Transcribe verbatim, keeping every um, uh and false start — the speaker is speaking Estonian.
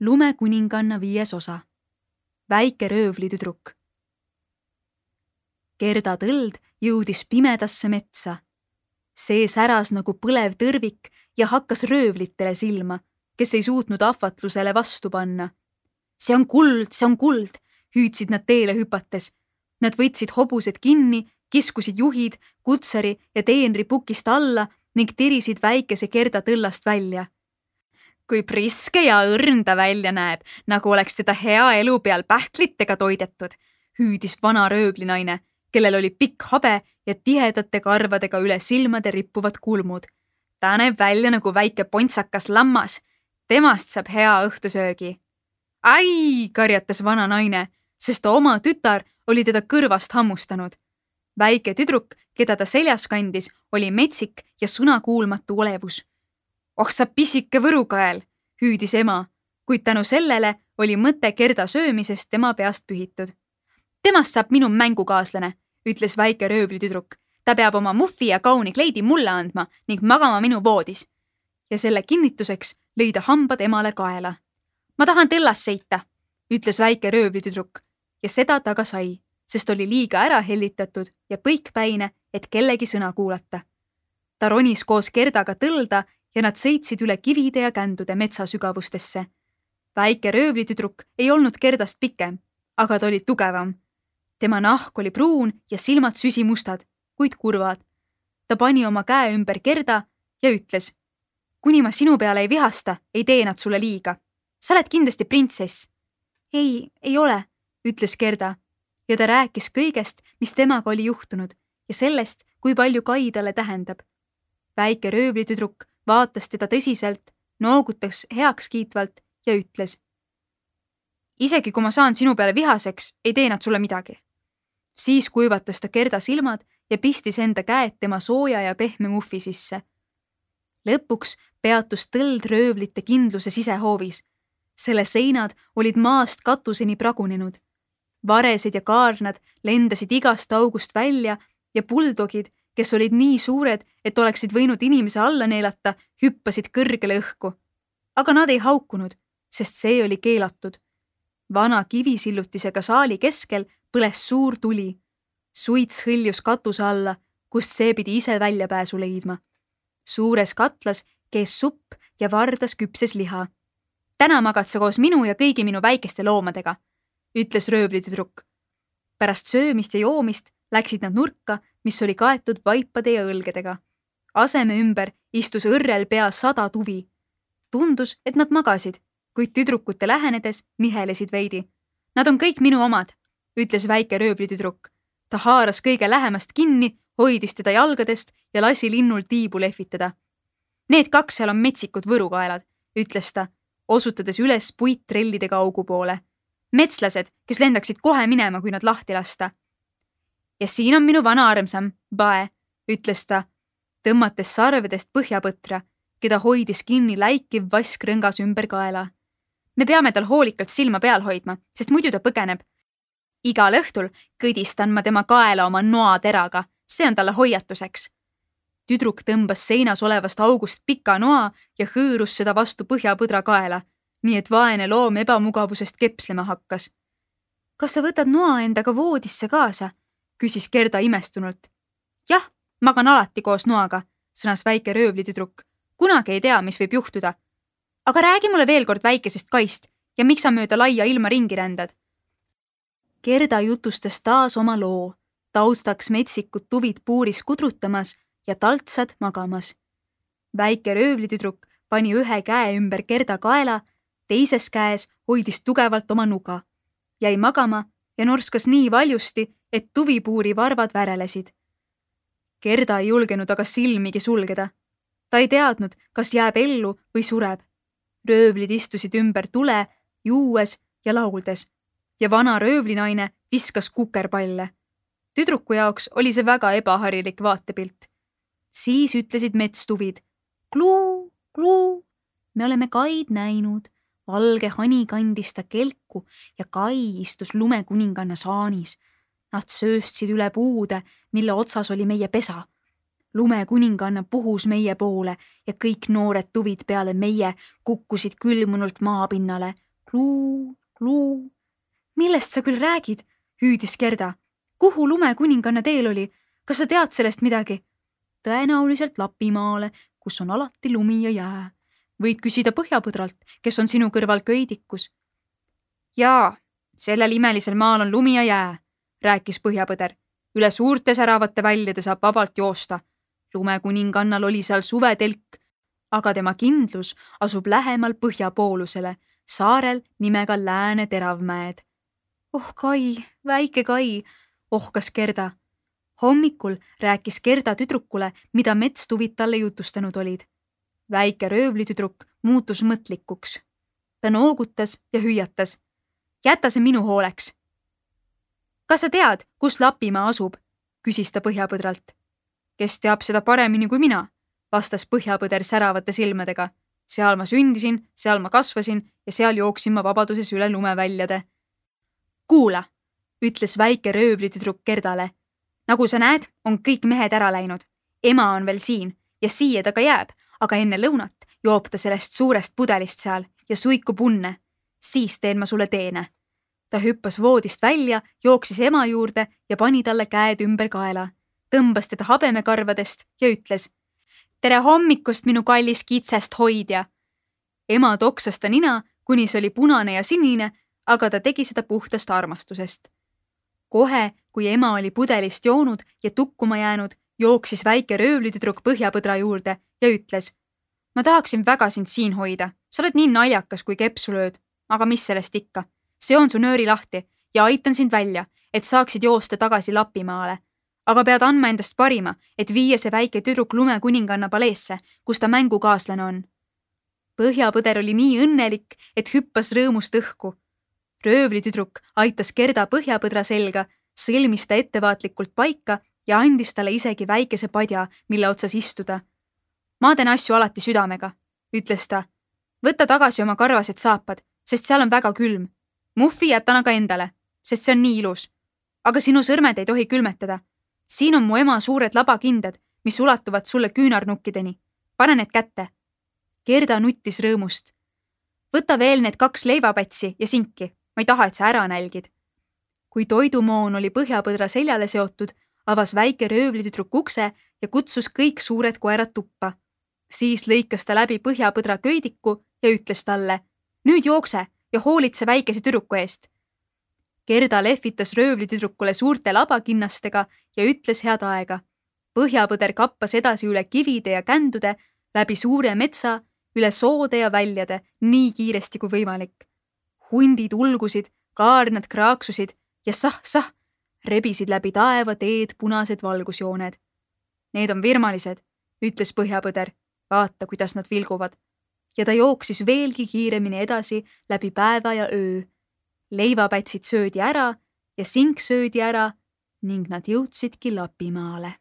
Lumekuninganna viies osa. Väike röövlitüdruk. Gerda tõld jõudis pimedasse metsa. See säras nagu põlev tõrvik ja hakkas röövlitele silma, kes ei suutnud ahvatlusele vastu panna. See on kuld, see on kuld, hüüdsid nad teele hüpates. Nad võtsid hobused kinni, kiskusid juhid, kutsari ja teenri pukist alla ning tirisid väikese Gerda tõllast välja. Kui priske ja õrn ta välja näeb, nagu oleks teda hea elu peal pähklitega toidetud, hüüdis vana rööblinaine, kellel oli pikk habe ja tihedate karvadega üle silmade rippuvad kulmud. Ta näeb välja nagu väike pontsakas lammas. Temast saab hea õhtusöögi. Ai, karjatas vana naine, sest oma tütar oli teda kõrvast hammustanud. Väike tüdruk, keda ta seljas kandis, oli metsik ja sõnakuulmatu olevus. Oh sa pisike võrukael, hüüdis ema, kuid tänu sellele oli mõte Gerda söömisest tema peast pühitud. Temast saab minu mängukaaslane, ütles väike röövlitüdruk. Ta peab oma muffi ja kauni kleidi mulle andma ning magama minu voodis. Ja selle kinnituseks lõi ta hambad emale kaela. Ma tahan tõllas sõita, ütles väike röövlitüdruk ja seda ta ka sai, sest oli liiga ära hellitatud ja põikpäine, et kellegi sõna kuulata. Ta ronis koos Gerdaga tõlda ja nad sõitsid üle kivide ja kändude metsasügavustesse. Väike röövlitüdruk ei olnud Gerdast pikem, aga ta oli tugevam. Tema nahk oli pruun ja silmad süsimustad, kuid kurvad. Ta pani oma käe ümber Gerda ja ütles, kuni ma sinu peale ei vihasta, ei tee nad sulle liiga. Sa oled kindlasti printsess. Ei, ei ole, ütles Gerda ja ta rääkis kõigest, mis temaga oli juhtunud ja sellest, kui palju Kai talle tähendab. Väike röövlitüdruk vaatas teda tõsiselt, noogutas heaks kiitvalt ja ütles. Isegi kui ma saan sinu peale vihaseks, ei tee nad sulle midagi. Siis kuivatas ta Gerda silmad ja pistis enda käed tema sooja ja pehme muffi sisse. Lõpuks peatus tõld röövlite kindluse sisehoovis. Selle seinad olid maast katuseni pragunenud. Varesed ja kaarnad lendasid igast august välja ja buldogid, kes olid nii suured, et oleksid võinud inimese alla neelata, hüppasid kõrgele õhku. Aga nad ei haukunud, sest see oli keelatud. Vana kivisillutisega saali keskel põles suur tuli. Suits hõljus katuse alla, kust see pidi ise väljapääsu leidma. Suures katlas kees supp ja vardas küpses liha. Täna magad sa koos minu ja kõigi minu väikeste loomadega, ütles röövlitüdruk. Pärast söömist ja joomist läksid nad nurka, mis oli kaetud vaipade ja õlgedega. Aseme ümber istus õrrel pea sada tuvi. Tundus, et nad magasid, kuid tüdrukute lähenedes nihelesid veidi. Nad on kõik minu omad, ütles väike röövlitüdruk. Ta haaras kõige lähemast kinni, hoidis teda jalgadest ja lasi linnul tiibu lehvitada. Need kaks seal on metsikud võrukaelad, ütles ta, osutades üles puittrellidega augu poole. Metslased, kes lendaksid kohe minema, kui nad lahti lasta. Ja siin on minu vana armsam, Bae, ütles ta, tõmmates sarvedest põhjapõtra, keda hoidis kinni läikiv vask rõngas ümber kaela. Me peame tal hoolikalt silma peal hoidma, sest muidu ta põgeneb. Igal õhtul kõdistan ma tema kaela oma noateraga, see on talle hoiatuseks. Tüdruk tõmbas seinas olevast august pika noa ja hõõrus seda vastu põhjapõdra kaela, nii et vaene loom ebamugavusest kepslema hakkas. Kas sa võtad noa endaga voodisse kaasa? Küsis Gerda imestunult. Jah, magan alati koos noaga, sõnas väike röövlitüdruk. Kunagi ei tea, mis võib juhtuda. Aga räägi mulle veel kord väikesest Kaist ja miks sa mööda laia ilma ringi rändad? Gerda jutustas taas oma loo, taustaks metsikud tuvid puuris kudrutamas ja taltsad magamas. Väike röövlitüdruk pani ühe käe ümber Gerda kaela, teises käes hoidis tugevalt oma nuga. Jäi magama ja norskas nii valjusti, et tuvipuuri varvad värelesid. Gerda ei julgenud aga silmigi sulgeda. Ta ei teadnud, kas jääb ellu või sureb. Röövlid istusid ümber tule, juues ja lauldes ja vana röövlinaine viskas kukerpalle. Tüdruku jaoks oli see väga ebaharilik vaatepilt. Siis ütlesid metstuvid, kluu, kluu, me oleme Kaid näinud. Valge hani kandis ta kelku ja Kai istus lumekuninganna saanis. Nad sööstsid üle puude, mille otsas oli meie pesa. Lumekuninganna puhus meie poole ja kõik noored tuvid peale meie kukkusid külmunult maapinnale, kluu, kluu. Millest sa küll räägid? Hüüdis Gerda. Kuhu lumekuninganna teel oli? Kas sa tead sellest midagi? Tõenäoliselt Lapimaale, kus on alati lumi ja jää. Võid küsida Põhjapõdralt, kes on sinu kõrval köidikus. Jaa, sellel imelisel maal on lumi ja jää, rääkis Põhjapõder. Üle suurte säravate väljade saab vabalt joosta. Lumekuningannal oli seal suvetelk, aga tema kindlus asub lähemal põhjapoolusele, saarel nimega Lääne Teravmäed. Oh Kai, väike Kai, ohkas Gerda. Hommikul rääkis Gerda tüdrukule, mida metstuvid talle jutustanud olid. Väike röövlitüdruk muutus mõtlikuks. Ta noogutas ja hüüatas. Jäta see minu hooleks. Kas sa tead, kus Lapimaa asub? Küsis ta Põhjapõdralt. Kes teab seda paremini kui mina? Vastas Põhjapõder säravate silmadega. Seal ma sündisin, seal ma kasvasin ja seal jooksin ma vabaduses üle lumeväljade. Kuula, ütles väike röövlitüdruk Gerdale. Nagu sa näed, on kõik mehed ära läinud. Ema on veel siin ja siia ta ka jääb, aga enne lõunat joob ta sellest suurest pudelist seal ja suikub unne. Siis teen ma sulle teene. Ta hüppas voodist välja, jooksis ema juurde ja pani talle käed ümber kaela. Tõmbas teda habemekarvadest ja ütles. Tere hommikust, minu kallis kitsest hoidja. Ema toksas ta nina, kuni see oli punane ja sinine, aga ta tegi seda puhtast armastusest. Kohe, kui ema oli pudelist joonud ja tukkuma jäänud, jooksis väike röövlitüdruk Põhjapõdra juurde ja ütles. Ma tahaksin väga sind siin hoida. Sa oled nii naljakas, kui kepsu lööd. Aga mis sellest ikka? See on su nööri lahti ja aitan sind välja, et saaksid joosta tagasi Lapimaale. Aga pead andma endast parima, et viia see väike tüdruk lumekuninganna paleesse, kus ta mängukaaslane on. Põhjapõder oli nii õnnelik, et hüppas rõõmust õhku. Röövlitüdruk aitas Gerda Põhjapõdra selga, sõlmis ta ettevaatlikult paika ja andis talle isegi väikese padja, mille otsas istuda. Ma teen asju alati südamega, ütles ta. Võta tagasi oma karvased saapad, sest seal on väga külm. Muffi jätan aga endale, sest see on nii ilus. Aga sinu sõrmed ei tohi külmetada. Siin on mu ema suured labakindad, mis ulatuvad sulle küünarnukkideni. Pane need kätte. Gerda nuttis rõõmust. Võta veel need kaks leivapätsi ja sinki. Ma ei taha, et sa ära nälgid. Kui toidumoon oli Põhjapõdra seljale seotud, avas väike röövlitüdruk ukse ja kutsus kõik suured koerad tuppa. Siis lõikas ta läbi Põhjapõdra köidiku ja ütles talle, nüüd jookse ja hoolitse väikese tüdruku eest. Gerda lehvitas röövlitüdrukule suurte labakinnastega ja ütles head aega. Põhjapõder kappas edasi üle kivide ja kändude, läbi suure metsa, üle soode ja väljade, nii kiiresti kui võimalik. Hundid ulgusid, kaarnad kraaksusid ja sah-sah rebisid läbi taeva teed punased valgusjooned. Need on virmalised, ütles Põhjapõder. Vaata, kuidas nad vilguvad. Ja ta jooksis veelgi kiiremini edasi läbi päeva ja öö. Leivapätsid söödi ära ja sink söödi ära ning nad jõudsidki Lapimaale.